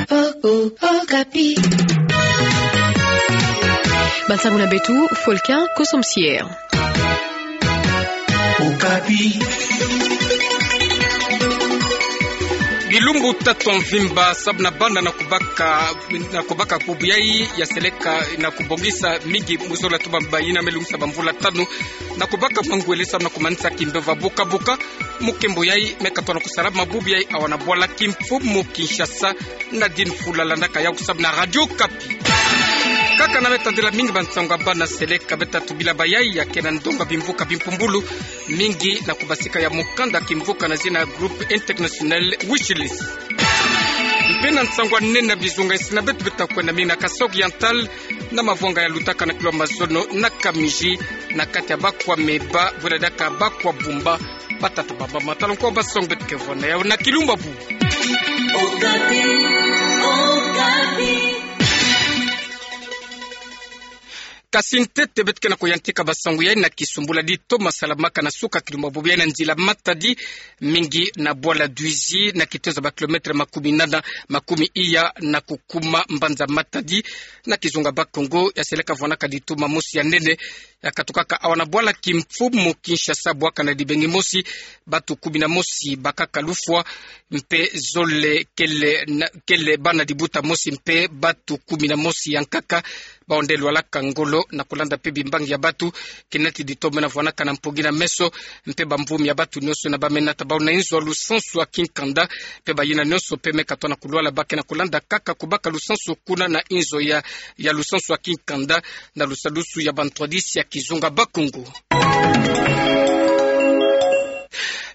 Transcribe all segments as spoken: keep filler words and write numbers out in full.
Oh, oh, Okapi. Bansangu na beto, Folkin Kosomsier. Okapi. Bilumbu tatu ya mvimba, sababu na bana na kubaka, na kubaka bubu yai ya seleka na kubongisa mingi mu zola tuba bayina me lungisa bamvula tanu na kubaka mangwele sababu na kumanisa kimbevo ya buka buka. Mukembo yai me katona kusalama bubu yai awa na bwala kimfumu Kinshasa, Nadine Fula landaka yau sababu na Radio Okapi. Kaka na me tadila mingi bansangu ya bana seleka, beta tubila bayai ya kena ndonga bimvuka bimpumbulu mingi na kubasika ya mukanda kimvuka na zina Groupe International Wishlist. Mpe na nsangu ya nene ya bizunga, insi na beto beta kwenda mingi na Kasaï Oriental, na mavwanga ya lutaka na kilo mazono na Kamiji, na kati ya bakwa Meba, bwela diaka bakwa Bumba, batata bamba matalon kwa basong beto ke vwanda yau na kilumbu ya bubu. Okapi, Okapi. Kasi ntete beto ke na kuyantika basangu yai na kisumbula di Thomas Salamaka na suka kilumbu ya bubu yai na nzila Matadi, mingi na bwala Dwizi, na kitezo ba kilometre makumi nana, makumi iya na kukuma mbanza Matadi, na kizunga Bas-Congo, ya seleka vwanaka di tuma mosi ya nene ya katukaka awa na bwala kimfumu Kinshasa, bwaka na dibengi mosi, batu kumi na mosi bakaka lufwa, mpe zole kele na, kele bana dibuta mosi, mpe batu kumi na mosi ya nkaka baonde lwalaka ngolo na kulanda mpe bimbangi ya batu, kinati di toma na vwanaka na mpongi na meso, mpe bamvumi ya batu nionso na bamena tabau na inzo ya lusansu ya kinkanda, mpe bayina nionso mpe me katona kulwala ba ke na kulanda kaka kubaka lusansu kuna na inzo ya, ya lusansu ya kinkanda, na lusalusu ya bantwadisi ya kizunga Bas-Congo.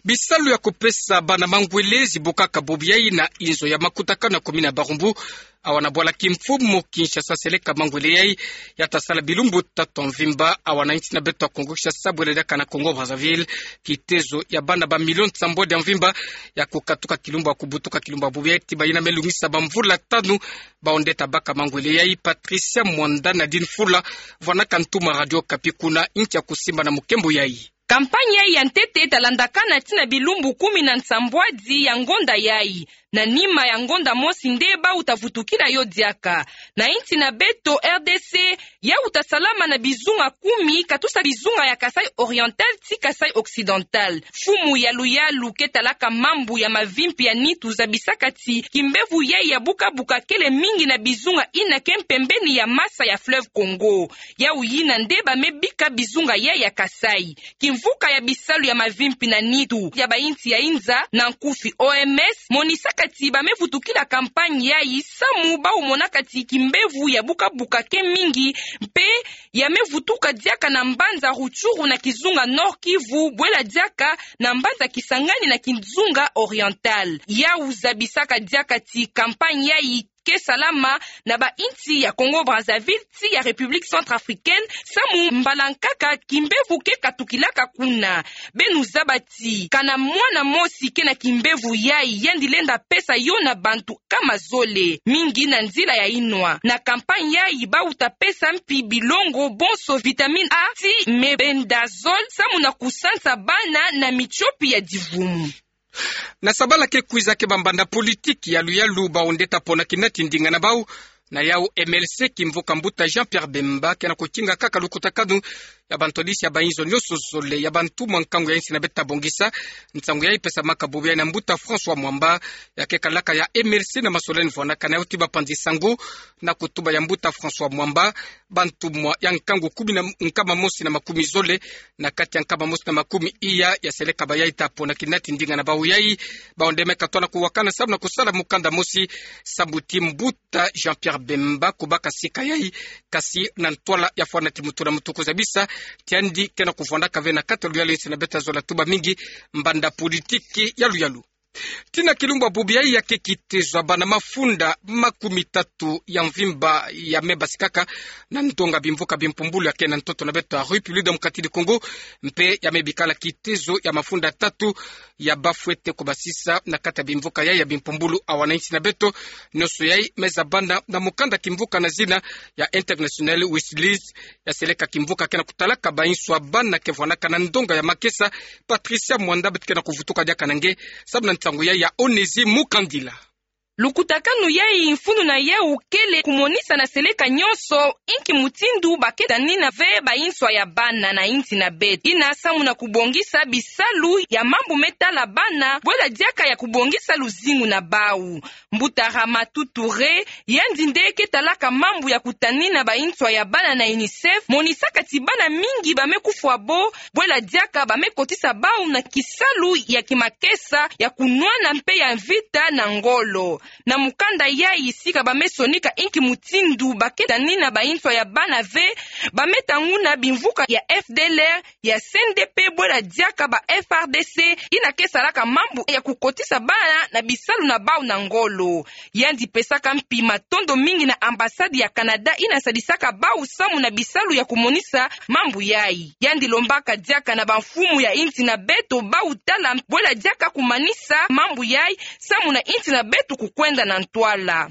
Bisalu ya kupesa bana mangwele zibukaka bubu yai na inzo ya makutakanu ya komini ya Barumbu, awa na bwala kimfumu Kinshasa seleka mangwele yai, ya ta sala bilumbu tatu ya mvimba, awa na insi na beto ya Kongo Kinshasa, bwela diaka na Congo Brazzaville, kitezo ya bana ba milioni nsambwadi ya mvimba, ya kukatuka kilumbu ya kubutuka kilumbu ya bubu yai, ti bayina me lungisa bamvula tanu, baonde ta baka mangwele yai. Patricia Mwanda, Nadine Fula vwanaka ntuma Radio Okapi kuna, ntia kusimba na mukembo yai. Kampanye yai ya ntete ta landakana ti na bilumbu kumi na nsambwadi ya ngonda yai. Na nima ya ngonda mosi nde bau ta vutukila yo diaka. Na insi na beto R D C, yau ta salama na bizunga kumi, katusa bizunga ya Kasaï Oriental ti Kasaï Occidental. Mfumu ya luyalu ke talaka mambu ya mavimpi ya nitu zabisaka ti kimbevo yai ya buka buka kele mingi na bizunga yina ke mpembeni ya masa ya fleuve Congo. Yau yina nde ba me bika bizunga yai ya Kasaï. Kimvuka ya bisalu ya mavimpi na nitu ya bainsi ya inza, na nkufi O M S, monisaka ti ba me vutukila kampanye yai samu bau monaka ti kimbevo ya buka buka ke mingi, mpe ya me vutuka diaka na mbanza Rutshuru na kizunga Nord-Kivu, bwela diaka na mbanza Kisangani na kizunga Oriental. Yau zabisaka diaka ti kampanye yai ke salama na bainsi ya Congo Brazzaville ti ya République Centrafricaine, samu mbala nkaka kimbevo ke katukilaka kuna. Beno zaba ti kana mwana mosi ke na kimbevo yai, yandi lenda pesa yo na bantu nkama zole, mingi na nzila ya inwa. Na kampanye yai bau ta pesa mpi bilongo bonso vitamine A ti mebendazole, samu na kusansa bana na mitiopi ya divumu. Na sabala ke kwiza ke bambanda politiki ya luyalu baonde ta pona kinati ndinga na bau. Na yau M L C kimvuka mbuta Jean-Pierre Bemba ke na kutinga kaka lukutakanu ya bantwadisi ya bainzo nionso zole, ya bantumwa nkangu ya insi na beto ta bongisa. Nsangu yai pesamaka bubu yai na mbuta François Mwamba, ya ke kalaka ya M L C na masoleni vwanaka na yau ti bapanzi sango, na kutuba ya mbuta François Mwamba, bantumwa ya nkangu kumi na, nkama mosi na makumi zole, na kati ya nkama mosi na makumi iya ya seleka bayai ta pona kinati ndinga na bau yai, baonde me katona kuwakana samu na kusala mukanda mosi, samu ti mbuta Jean-Pierre Bemba kubaka sika yai, kasi na ntwala ya fwana ti mutu na mutu kuzabisa ti yandi ke na kuvwandaka ve na kati ya luyalu, insi na beto ta zola tuba mingi mbanda politiki ya luyalu. Ti na kilumbu ya bubu yai ya ke kitezo ya bana mafunda makumi tatu ya mvimba ya me basikaka na ndonga bimvuka bimpumbulu ya ke na ntoto na beto ya République Démocratique du Congo, mpe ya me bikala kitezo ya mafunda tatu ya bafwete kubasisa na kati ya bimvuka yai ya bimpumbulu awa na insi na beto. Nionso yai me zabana na mukanda kimvuka na zina ya International Wishlist, ya seleka kimvuka ke na kutalaka bainso ya bana ke vwanaka na ndonga ya makesa. Patricia Mwanda beto ke na kuvutuka diaka na nge, samu na nsangu yai ya Onésimus Mukandila. Lukutakanu yayi, mfunu na yawu kele kumonisa na seleka nyonso inki mutindu ba ke tanina ve ba inswa ya bana na insi na beto. Ina samu na kubongisa bisalu ya mambu me tala bana, bwela diaka ya kubongisa luzingu na bawu. Mbuta Ramatoulaye Touré, yandi nde ke talaka mambu ya kutanina ba inswa ya bana na UNICEF, monisaka ti bana mingi ba me kufwa bo, bwela diaka ba me kotisa bawu na kisalu ya kimakesa, ya kunwana mpe ya mvita na ngolo. Na mukanda yayi, sika ba me sonika inki mutindu ba ke tanina ba inswa ya bana ve, ba me tanguna bimvuka ya F D L R, ya C N D P, bwela diaka ba F A R D C, ina ke salaka mambu ya kukotisa bana na bisalu na bawu na ngolo. Yandi pesaka mpi matondo mingi na ambassade ya Canada ina sadisaka bawu samu na bisalu ya kumonisa mambu yayi. Yandi lombaka diaka na bamfumu ya insi na beto bawu tala, bwela diaka kumanisa mambu yayi samu na insi na beto kukwenda na ntwala.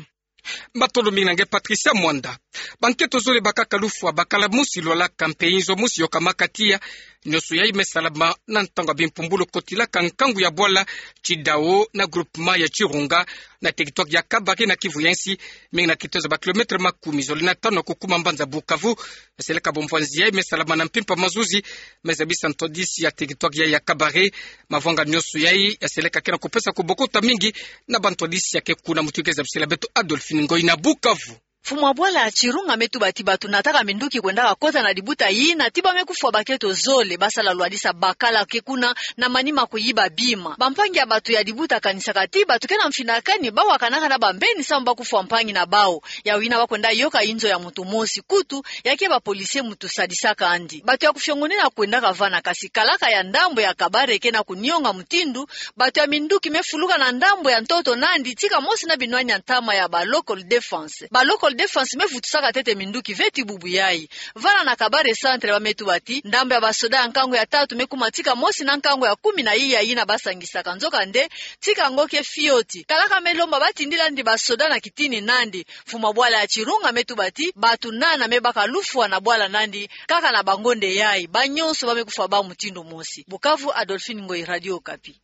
Matondo mingi na nge Patricia Mwanda. Bankento zole bakaka lufwa, bakala mosi lwalaka mpe inzo mosi yokamaka tiya. Nyonso yayi me salama na ntangu ya bimpumbulu kotilaka nkangu ya bwala Tshidao na groupement ya Tshirunga, na territoire ya Kabare na Kivu ya Nsi, mingi na kitezo ba kilomètre makumi zole na tanu na kukuma mbanza Bukavu. Seleka bomvwanzi yayi me salama na mpimpa mazuzi, me zabisa ntwadisi ya territoire yayi ya Kabare. Mavwanga nyonso yayi ya seleka ke na kupesa kubokota mingi na bantwadisi ya ke kuna. Mutu ke zabisela beto Adolphine Ngoyi na Bukavu. Mfumu wa bwala ya Tshirunga me tuba ti bato nataka minduki kwendaka kota na dibuta yina, ti ba me kufwa bankento zole, ba sala lwadisa bakala ke kuna na manima kuyiba bima. Bampangi ya bato ya dibuta kanisaka ti bato ke na mfinakani, ba wakanaka na bambeni samu ba kufwa mpangi na bawu. Yawu yina ba kwenda yoka inzo ya mutu mosi, kutu ya ke ba policier mutu sadisaka yandi. Bato ya kufiongonena kwendaka vana, kasi kalaka ya ndambu ya Kabare ke na kunionga mutindu bato ya minduki me fuluka na ndambu ya ntoto nandi, tika mosi na binwani ya ntama ya ba local defense. Ba local defense me vutusaka ntete minduki ve ti bubu yayi. Vana na Kabare centre ba me tuba ti ndambu ya basoda ya nkangu ya tatu me kuma tika mosi na nkangu ya kumi na iya yina ba sangisaka. Nzokande, tika ngo ke fioti. Kalaka me lomba ba tindila yandi basoda na kitini nandi. Mfumu wa bwala ya Tshirunga me tuba ti bato nana me baka lufwa na bwala nandi, kaka na bangonde yayi, ba nyonso ba me kufwa bawu mutindu mosi. Bukavu, Adolphine Ngoyi, Radio Okapi.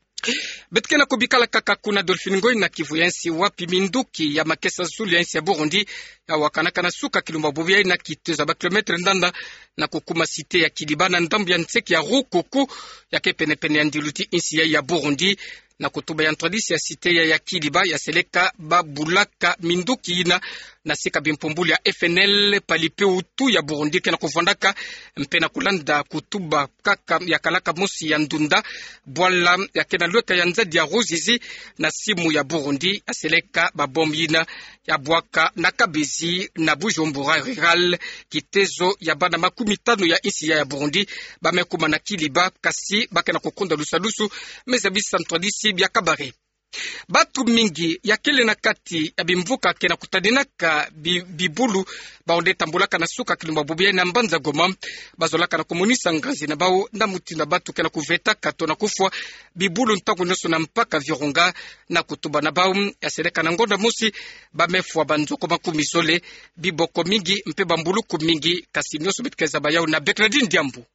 Beto ke na kubikala kaka kuna, Adolphine Ngoyi, na Kivu ya Nsi, wapi minduki ya makesa zulu ya insi ya Burundi ya wakanaka na suka kilumbu bubu yayi na kitezo ba kilomètre ndanda na kukuma cité ya Kiliba na ndambu ya nseki ya Rukoko, ya ke penepene ya ndilu ti insi yayi ya Burundi. Na kutuba ya ntwadisi ya cité ya, ya Kiliba, ya seleka ba bulaka minduki yina na sika bimpumbulu ya F N L, Parti Hutu ya Burundi ke na kuvwandaka, mpe na kulanda kutuba kaka ya kalaka mosi ya ndunda, bwala ya ke na lweka ya nzadi ya Ruzizi na simu ya Burundi, ya seleka ba bombe yina ya bwaka na Kabezi na Bujumbura Rural, kitezo ya bana makumi tanu ya insi ya, ya Burundi ba me kuma na Kiliba, kasi ba ke na kukonda lusalusu, me zabisa ntwadisi bia Kabare. Bato mingi ya kele na kati ya bimvuka ke na kutadinaka bi-, bibulu, bawu nde tambulaka na suka kilumbu bubu yayi na mbanza Goma, ba zolaka na kumonisa nganzi na bawu na mutindu ya bato ke na kuvetaka to na kufwa bibulu ntangu nyonso na mpaka Virunga. Na kutuba na bawu, ya seleka na ngonda mosi ba me fwa banzoko makumi zole, biboko mingi mpe bambuluku mingi, kasi nyonso beto ke zaba yawu na Bernardine Diambu.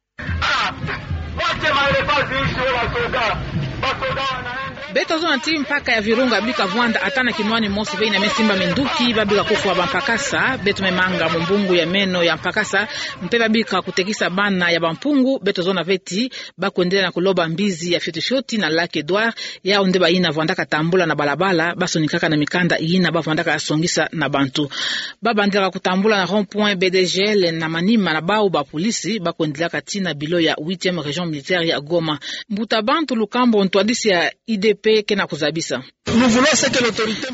Beto zona ti mpaka ya Virunga bika vwanda ata na kinwani mosi ve yina me simba minduki, ba bika kufwa bampakasa. Beto me manga mu mbungu ya meno ya mpakasa, mpe ba bika kutekisa bana ya bampungu. Beto zona ve ti ba kwendela na kuloba mbizi ya fioti fioti na Lac Edouard, yawu nde bayina vwandaka tambula na balabala, ba sonikaka na mikanda yina ba vwandaka songisa na bantu. Ba bandilaka kutambula na rond-point B D G L, na manima na bawu bapolisi ba kwendilaka tii na bilo ya huitième région militaire ya Goma. Mbuta bantu, lukambu ntwadisi ya I D P ke na kuzabisa.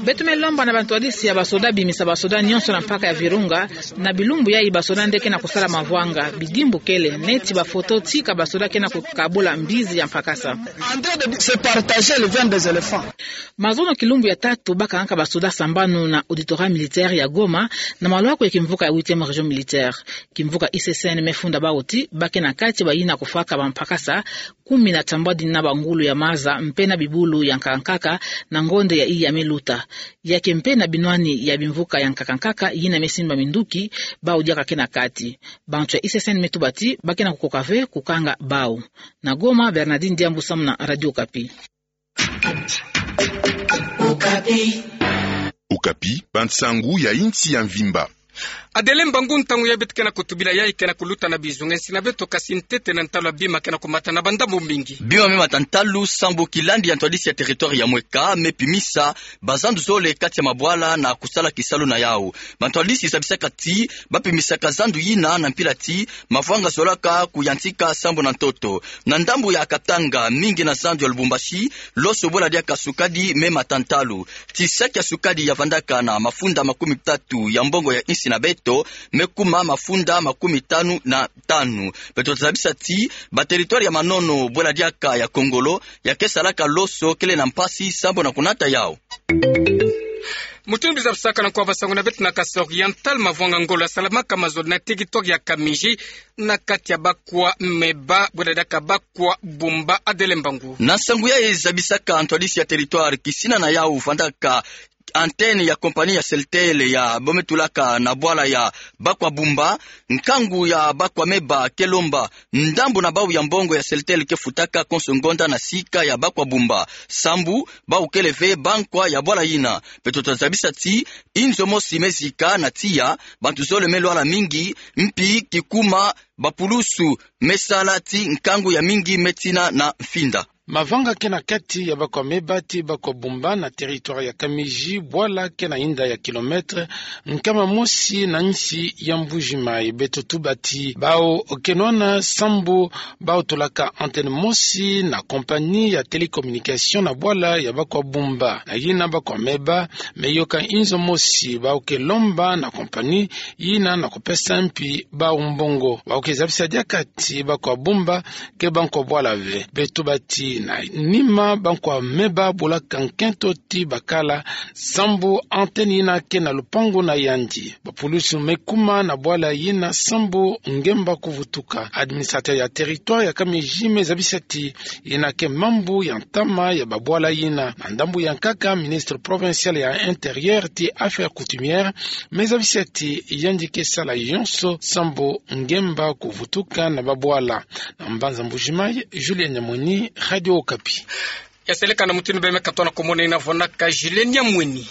Beto me lomba na bantwadisi ya basoda bimisa basoda nyonso na mpaka ya Virunga. Na bilumbu yayi basoda nde ke na kusala mavwanga, bidimbu kele, neti bafoto tika basoda ke na kukabula mbizi ya mpakasa. Mazono kilumbu ya tatu ba kangaka basoda sambanu na auditorat militaire ya Goma, na malwaku ya kimvuka ya huitième région militaire. Kimvuka I C C N me funda bawu ti ba ke na kati bayina kufwaka bampakasa kumi na tambwadi na bangulu ya maza mpe na bibulu ya nkaka nkaka na ngonde ya iya me luta. Ya ke mpe na binwani ya bimvuka ya nkaka nkaka yina me simba minduki, bawu diaka ke na kati. Bantu ya I C C N me tuba ti ba ke na kukoka ve kukanga bawu. Na Goma, Bernardine Diambu samu na Radio Okapi. Okapi. Okapi, bansangu ya insi ya mvimba. Adele mbangu, ntangu ya beto ke na kutubila yayi ke na kuluta na bizunga nsi na beto, kasi ntete na ntalu ya bima ke na kumata na bandambu mbingi. Bima me mata ntalu sambu kilandi ya ntwadisi ya territoire ya mweka me pimisa bazandu zole kati ya mabwala na kusala kisalu na yau. Bantwadisi zabisaka ti ba pimisaka zandu yina na mpila ti mavwanga zolaka kuyantika sambu na ntoto. Na ndambu ya Katanga, mingi na zandu ya Lubumbashi, loso bwela diaka sukadi me mata ntalu. Ti saki ya sukadi ya vandaka na mafunda makumi tatu ya mbongo ya insi na beto, me kuma mafunda makumi tanu na tanu. Beto tazabisa ti ba territoire ya manono bwela diaka ya Kongolo, ya ke salaka loso kele na mpasi sambu na kunata yau. Mutindu zabisaka na nkwa basangu na beto na Kasaï Oriental, mavwanga ngolo ya salamaka mazono na territoire ya Kamiji, na kati ya Bakwa Meba bwela diaka Bakwa Bumba. Adele mbangu. Na nsangu yayi zabisaka ntwadisi ya territoire, kisina na yau vandaka antenne ya compagnie ya Celtel ya bo me tulaka na bwala ya Bakwa Bumba, nkangu ya Bakwa Meba ke lomba ndambu na bau ya mbongo ya Celtel ke futaka konso ngonda na sika ya Bakwa Bumba, sambu bau kele ve bankwa ya bwala yina. Beto tazabisa ti inzo mosi me zika na tiya, bantu zole me lwala mingi, mpi kikuma bapulusu me sala ti nkangu ya mingi me tina na mfinda. Mavanga ke na kati ya Bakwa Meba ti Bakwa Bumba na territoire ya Kamiji, bwala ke na inda ya kilomètre nkama mosi na nsi ya Mbuji-Mayi. Beto tuba ti bau ke nwana sambu bau tulaka antenne mosi na compagnie ya télécommunication na bwala ya Bakwa Bumba. Na yina Bakwa Meba me yoka inzo mosi bau ke lomba na compagnie yina na kupesa mpi bau mbongo. Bau ke zabisa diaka ti Bakwa Bumba ke bankwa bwala ve. Beto tuba ti na nima Bakwa Meba bulaka nkento ti bakala sambu antenne yina ke na lupangu na yandi. Bapulusu me kuma na bwala yina sambu ngemba kuvutuka. Administrateur ya territoire ya Kamiji me zabisa ti yina ke mambu ya ntama ya babwala yina. Na ndambu ya nkaka, ministre provincial ya intérieur ti affaires coutumières me zabisa ti yandi ke sala yonso sambu ngemba kuvutuka na babwala. Na mbanza Mbuji-Mayi, Julien Nyamweni, Radio Okapi. Ya seleka na mutindu bê me katoa na komona, ina vwandaka Julien Nyamweni.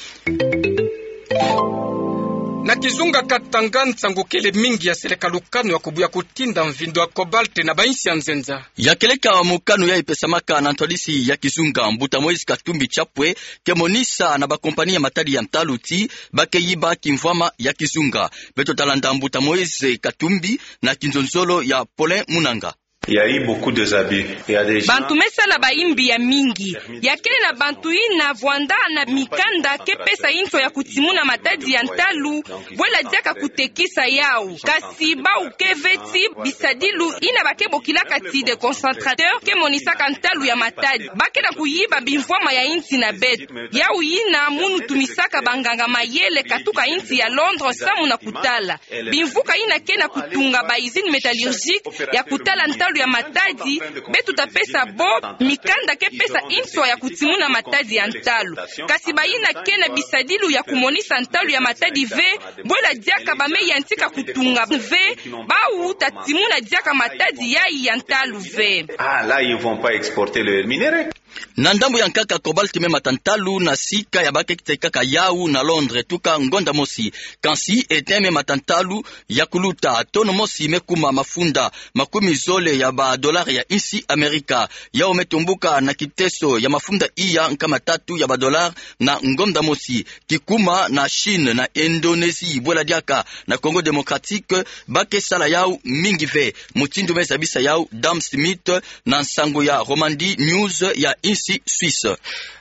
Na kizunga Katanga, nsangu kele mingi ya seleka lukanu ya kubuya kutinda mvindo ya cobalt na bainsi ya nzenza. Ya keleka mokano yayi pesamaka na ntwadisi ya kizunga, mbuta Moïse Katumbi Chapwe ke monisa na ba compagnie ya matadi ya ntalu ti ba ke yiba kimvwama ya kizunga. Beto talanda mbuta Moïse Katumbi na kinzonzolo ya Paulin Munanga. Il y a eu beaucoup des abus. Il y a des gens... Bantu me sala bayimbi ya mingi. Ya kele na bantu ina vwanda na mikanda ke pesa inswa ya kutimuna matadi ya ntalu, bwela diaka kutekisa yau. Kasi bau ke ve ti bisadilu ina ba ke bokilaka ti déconcentrateur ke monisaka ntalu ya matadi. Ba ke na kuyiba bimvwama ya insi na beto. Yau ina munu tumisaka banganga mayele katuka insi ya Londres samu na kutala bimvuka ina ke na kutunga ba usines métallurgiques ya kutala ntalu ya matadi. Beto ta pesa bo mikanda ke pesa inswa ya kutimuna matadi ya ntalu. Kasi bayina ke na bisadilu ya kumonisa ntalu ya matadi ve, bwela diaka ba me yantika kutunga ve, bau ta timuna diaka matadi yayi ya ntalu ve. Ah, là, ils vont pas exporter le minerai. Na ndambu ya nkaka, cobalt me mata ntalu na sika ya ba ke tekaka yau na Londres tuka ngonda mosi. Kansi, étain me mata ntalu ya kuluta, tono mosi me kuma mafunda makumi zole ya ba dollars ya insi Amerika. Yau me tumbuka na kiteso ya mafunda iya nkama tatu ya ba dollars na ngonda mosi. Kikuma na Chine, na Indonésie, bwela diaka na Congo Démocratique, ba ke sala yau mingi ve. Mutindu me zabisa yau Dame Smith na nsangu ya Romandie News ya insi Suisse.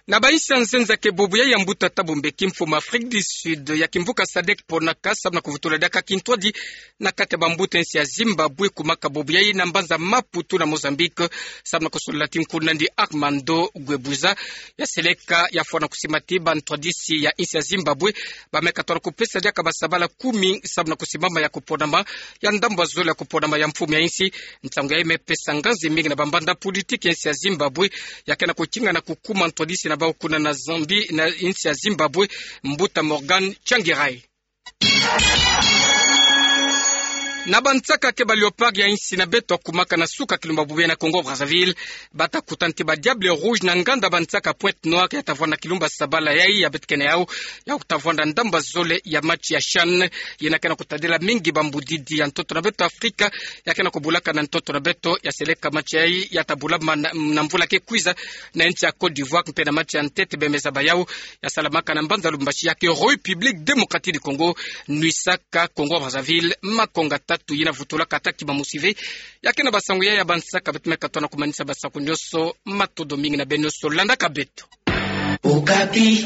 Na bainsi ya nzenza ke bubu yayi ya mbuta Thabo Mbeki, mfumu Afrique du Sud ya kimvuka SADC ponaka samu na kuvutula diaka kintwadi na kati ya bambuta insi ya Zimbabwe, kumaka bubu yayi na mbanza Maputo na Mozambique, samu na kusolila ti nkuna ndi Armando Guebuza. Ya seleka ya fwana kusima ti bantwadisi ya insi ya Zimbabwe ba me katoa na kupesa diaka basabala kumi samu na kusimama ya kuponama ya ndambu ya zole ya kuponama ya mfumu ya insi. Nsangu yayi me pesa nganzi mingi na bambanda politiki ya insi ya Zimbabwe, ya ke na kukinga na kukuma ntwadisi na bau kuna na Zambie na insi ya Zimbabwe, mbuta Morgan Tsvangirai. Na bansaka ke ba Léopards ya insi na beto ya kumaka na suka kilumba bubu ya na Congo Brazzaville, bata kutana ti ba Diables Rouges na nganda bansaka Pointe Noire ya ta vwanda na kilumba sabala yayi ya beto kena yau, ya kuta vwanda ndamba zole ya match ya CHAN, yena ke na kutadila mingi bambudidi ya ntoto na beto Afrika, ya ke na kubulaka na ntoto na beto ya seleka match yayi ya ta bula mana, na mvula ke kwiza na nsi ya Côte d'Ivoire, mpe na match ya ntete bemeza ba yau ya salamaka na mbanza Lubumbashi ya ke République Démocratique du Congo, nwisaka Congo Brazzaville makonga tatu. Yena vutulaka ata ki ba musive. Ya ke na basango yayi ya bansaka, beto me katoa na kumanisa basaku nioso. Matondo mingi na beno nioso landaka beto. Okapi.